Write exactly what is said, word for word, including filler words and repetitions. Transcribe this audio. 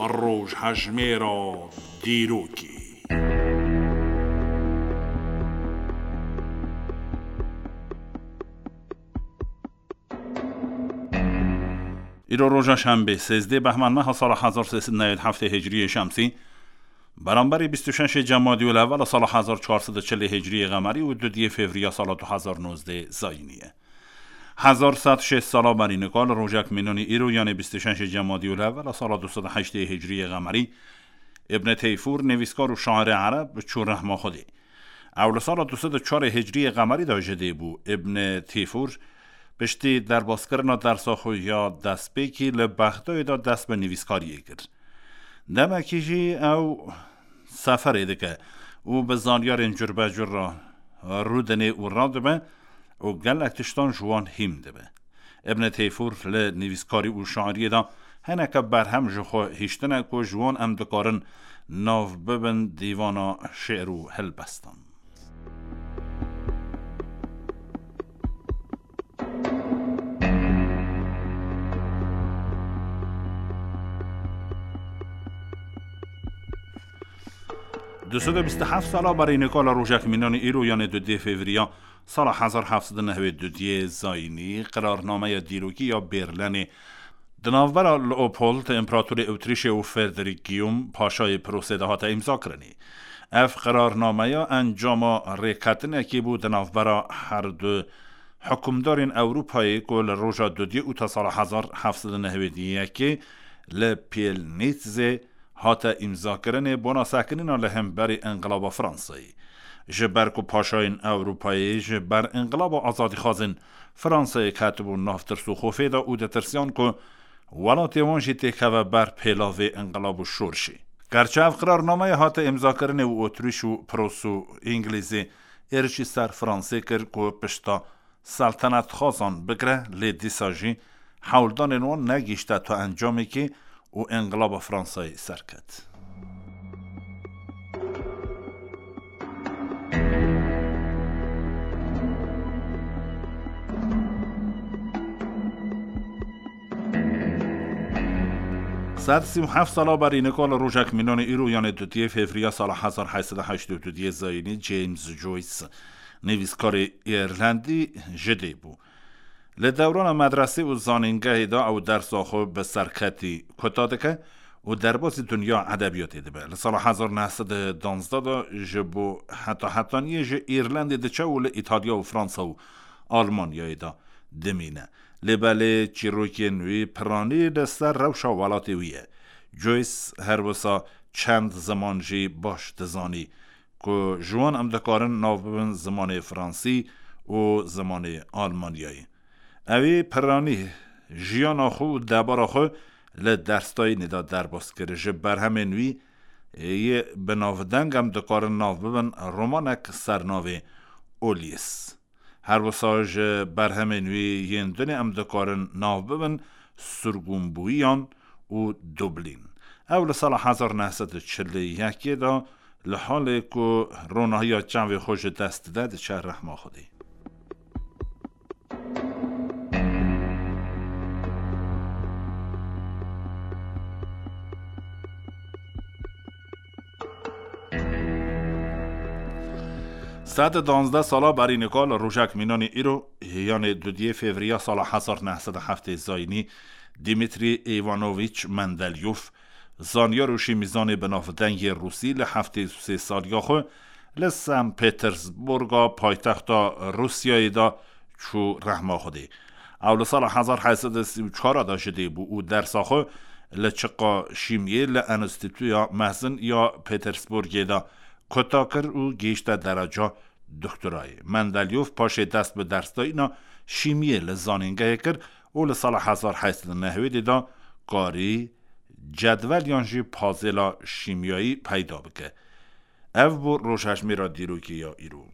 Rojhejmêra dîrokê. Îro roja şembê, sêzdeh behmên meha sala hezar sê sed newêd heftê hicriyê şemsî, beramberî bîst û şeşê cemadî û lewela sala hezar çar sed û çilê hicriyê qemerî û dudiyê fevriya sala du hezar nozdeh zayînî ye. Hezar sed şêst sala berî nika li rojek mînanî îro, yanê bîst û şeşê cemadî û lewela sala du sed û heştê hicriyê qemerî, Ibn Teyfûr, nivîskar û şairê ereb, çû rehma Xwedê. Ew li sala du sed û çarê hicriyê qemerî de ji dê bû. Ibn Teyfûr piştî derbaskirina dersa xwe ya destpêkî li Bexdayê de dest bi nivîskariyê kir. Demekî jî ew seferê dike û bi zanyarên curbecur re rûdinê û radibe û gelek tiştan ji wan hîm dibe. Ibn Teyfûr li nivîskarî û şairiyê de hineke berhem ji xwe hiştine ku ji wan em dikarin nav bibin dîvana şi'r û helbestan. Du sed û bîst û heft sala berî nika li rojek mînanî îro, yanê dudiyê fevriya sala hezar heft sed û newêd û dudiyê zayînî, qirarnameya dîrokî ya Berlînê di navbera Leopold, împeratorê Ewtrîşê, û Frederick Guillaume, paşayê Prûsê de hate îmzakirinê. Ev qirarnameya encama rêketinekê bû di navbera her du hikûmdarên Ewropayê ku li roja dudiyê ûta sala hezar heft sed û newêd û yekê li Pielnîtzê hate îmzakirinê bona sekinîna li hemberî Înqilaba Fransayê. Ji ber ku paşayên Ewropayê ji ber Înqilaba Azadîxwazên Fransayê ketibûn nav tirs û xofê de û ditirsiyan ku welatê wan jî têkeve ber pêlavê înqilab û şorişê. Gerçi ev qirarnameya hate îmzakirinê û Otrîş û Prûs û Îngilîzê êrişî ser Fransê kir ku pişta seltenetxwazan bigire, lê dîsa jî hewldanên wan negihîşte tu encamekê û Înqilaba Fransayê serket. Sed sî û heft sala berî nika li rojek mînanê îro, yanê dudiyê fevriya sala hezar heyt sed û heştê û dudiyê zayînî, James Joyce, nivîskarê Îrlandî ji dê bû. Li dewrana medresê û zanîngehê de ew dersa xwe bi serketî kuta dike û derbasî dinya edebiyatê dibe. Li sala hezar neh sed û danzdeh de ji bo heta hetaniyê ji Îrlandê diçe û li Îtalya û Fransa û Almanyayê de dimîne. Lê belê çîrokên wî piranî li ser rewşa welatê wî ye. Joyce her wisa çend ziman jî baş dizanî, ku ji wan em dikarin nav bibin zimanê fransî û zimanê almanyayî. Ewî piranî jiyana xwe û debara xwe li derstayînê de derbas kir. Ji berhemên wî yê bi navdeng em dikarin nav bibin romanek ser navê Ulysse. Her wisa ji berhemên wî yên dinê em dikarin nav bibin Sirgûnbûyiyan û Dublîn. Ew li sala hezar neh sed û çil û yekê de li halê ku ronahiya çavê xwe ji dest dide, diçe rehma Xwedê. Sed û danzdeh sala berî nika li rojek mînanî îro, yanê dudiyê fevriya sala hezar neh sed û heftê zayînî, Dimitrî Îvanoviç Mendelyov, zanyar û şîmîzanê binavdeng yê Rûsî, li heftê û sê saliya xwe li San Petersburga paytexta Rûsyayê de çû rehma Xwedê. Ew li sala hezar heyt sed û sî û çar de ji dê bû û dersa xwe li çiqa şîmiyê li Enstîtuya Mezin ya Petersburgê de kuta kir û gihîşte dereca doktorayê. Mendelyov paşê dest bi dersdayîna şîmiyê li zanîngehê kir û li sala hezar heyt sed û newêdê de karî cedwel yan jî pazêla şîmyayî peyda bike. Ev bû rojhejmêra dîrokê ya îro.